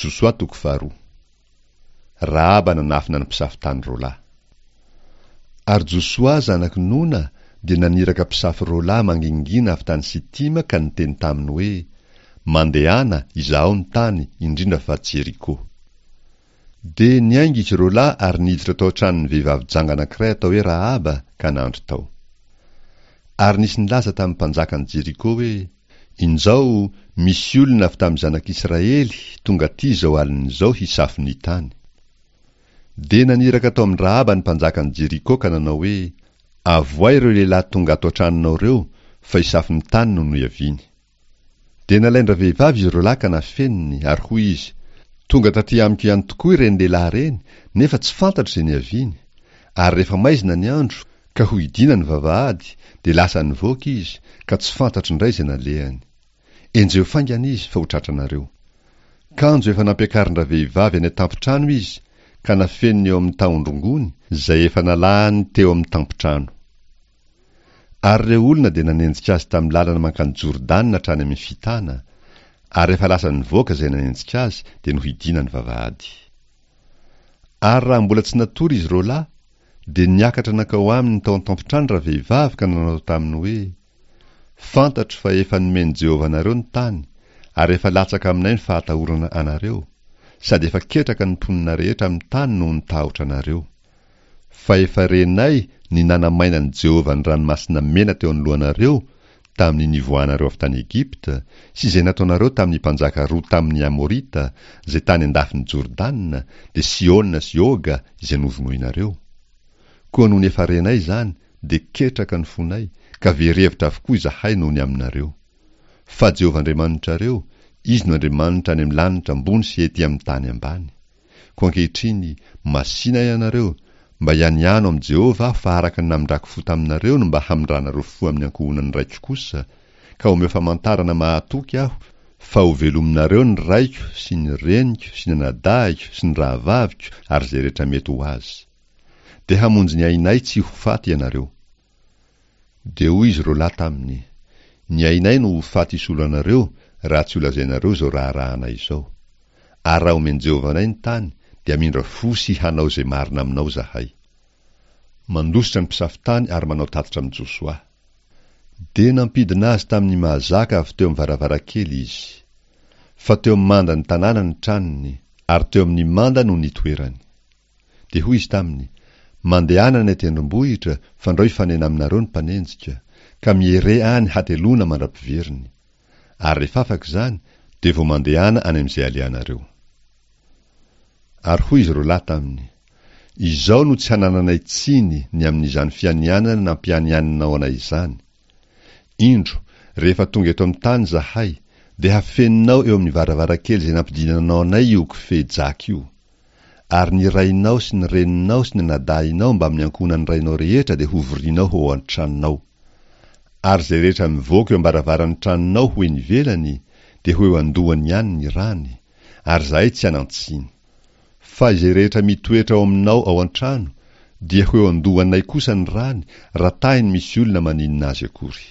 Josoa toko faharoa. Rahaba nanafina ny mpisafo tany roalahy. Ary Josoa zanak'i Nona dia naniraka mpisafo roalahy mangingina avy tany Sitima ka niteny taminy hoe, Mandehana, izahao ny tany, indrindra fa Jeriko. Dia niainga izy roalahy ary niditra tao an-tranon'ny vehivavy janga anankiray atao hoe Rahaba ka nandry tao. Ary nisy nilaza tamin'ny mpanjakan'i Jeriko hoe, Injao, misy olona avy tamin'ny zanak'Israely tonga aty izao alina izao hisafo ny tany. Dia naniraka tao amin-dRahaba ny mpanjakan'i Jeriko ka nanao hoe, Avohay ireo lehilahy tonga ato an-tranonao ireo, fa hisafo ny tany no niaviany. Dia nalain-dravehivavy izy roalahy ka nafeniny, ary hoy izy, Tonga taty amiko ihany tokoa ireny lehilahy ireny, nefa tsy fantatro izay niaviany. Ary rehefa maizina ny andro, ka hohidiana ny vavahady, dia lasa nivoaka izy, ka tsy fantatro indray izay nalehany. Enjeho faingana izy, fa ho tratranareo. Kanjo efa nampiakarin-dravehivavy any an-tampon-trano izy, ka nafeniny eo amin'ny tahon-drongony, izay efa nalahany teo amin'ny tampon-trano. Ary ireo olona dia nanenjika azy tamin'ny lalana mankany Jordana hatrany amin'ny fitana, ary rehefa lasa nivoaka izay nanenjika azy, dia nohidiana ny vavahady. Ary raha mbola tsy natory izy roalahy, dia niakatra nankao aminy tao an-tampon-trano ravehivavy ka nanao taminy hoe, Fantatro fa efa nomen'i Jehovah anareo ny tany, ary efa latsaka aminay ny fahatahorana anareo, sady efa ketraka ny mponina rehetra amin'ny tany noho ny tahotra anareo. Fa efa renay ny nanamainan'i Jehovah ny Ranomasina Mena teo anoloanareo tamin'ny nivoahanareo avy tany Egypta, sy izay nataonareo tamin'ny mpanjaka roa tamin'ny Amorita, izay tany an-dafin'i Jordana, dia Sihona sy Oga, izay novonoinareo. Koa nony efa renay izany, dia ketraka ny fonay, ka very hevitra avokoa izahay noho ny aminareo. Fa Jehovah Andriamanitrareo, Izy no Andriamanitra any amin'ny lanitra ambony sy ety amin'ny tany ambany. Koa ankehitriny, masìna ianareo, mba hianiano amin'i Jehovah aho fa araka ny namindrako fo taminareo no mba hamindranareo fo amin'ny ankohonan'ny raiko kosa, ka omeo famantarana mahatoky aho fa hovelominareo ny raiko sy ny reniko sy ny anadahiko sy ny rahavaviko ary izay rehetra mety ho azy. Dia hamonjy ny ainay tsy ho faty ianareo. Dia hoy izy roalahy taminy, Ny ainay no ho faty hisolo anareo, raha tsy holazainareo izao raharahanay izao. Ary raha omen'i Jehovah anay ny tany, dia hamindra fo sy hanao izay marina aminao izahay. Mandositra ny mpisafo tany ary manao tatitra amin'i Josoa. Dia nampidina azy tamin'ny mahazaka avy teo amin'ny varavarankely izy. Fa teo amin'ny mandan'ny tanàna ny tranony, ary teo amin'ny manda no nitoerany. Dia hoy izy taminy, Mandehana any an-tendrombohitra, fandrao hifanena aminareo ny mpanenjika, ka miere any hateloana mandra-piveriny. Ary rehefa afaka izany, dia vao mandehana any amin'izay alehanareo. Ary hoy izy roalahy taminy, Izao no tsy hanananay tsiny ny amin'izany fianianana nampianianinao anay izany. Indro, rehefa tonga eto amin'ny tany izahay, dia hafeninao eo amin'ny varavarankely izay nampidinanao anay io kofehy jaky io. Ary ny rainao sy ny reninao sy ny anadahinao mbamin'ny ankohonan'ny rainao rehetra dia hovorianao ho ao an-tranonao. Ary izay rehetra mivoaka eo am-baravaran'ny tranonao ho eny ivelany dia ho eo an-dohany ihany ny rany, ary izahay tsy hanan-tsiny. Fa izay rehetra mitoetra ao aminao ao an-trano dia ho eo an-dohanay kosa ny rany raha tahiny misy olona maninona azy akory.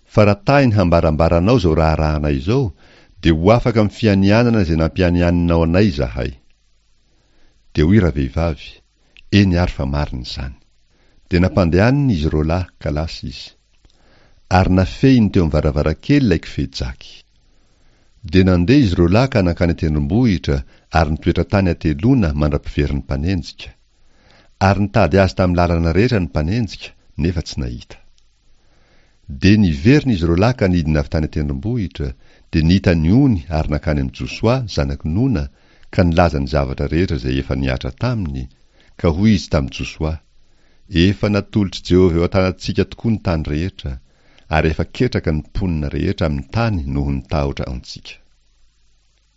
Fa raha tahiny hambarambaranao izao raharahanay izao, dia ho afaka amin'ny fianianana izay nampianianinao anay izahay. Dia hoy ravehivavy, Eny ary fa marina izany. Dia nampandehaniny izy roalahy ka lasa izy. Ary nafehiny teo amin'ny varavarankely ilay kofehy jaky. Dia nandeha izy roalahy ka nankany an-tendrombohitra ary nitoetra tany hateloana mandra-piverin'ny mpanenjika. Ary nitady azy tamin'ny lalana rehetra ny mpanenjika, nefa tsy nahita. Dia niverina izy roalahy ka nidina avy tany an-tendrombohitra, dia nita ny ony ary nankany amin'i Josoa, zanak'i Nona, ka nilaza ny zavatra rehetra izay efa nihatra taminy, ka hoy izy tamin'i Josoa, Efa natolotr'i Jehovah eo an-tanantsika tokoa ny tany rehetra, ary efa ketraka ny mponina rehetra amin'ny tany noho ny tahotra antsika.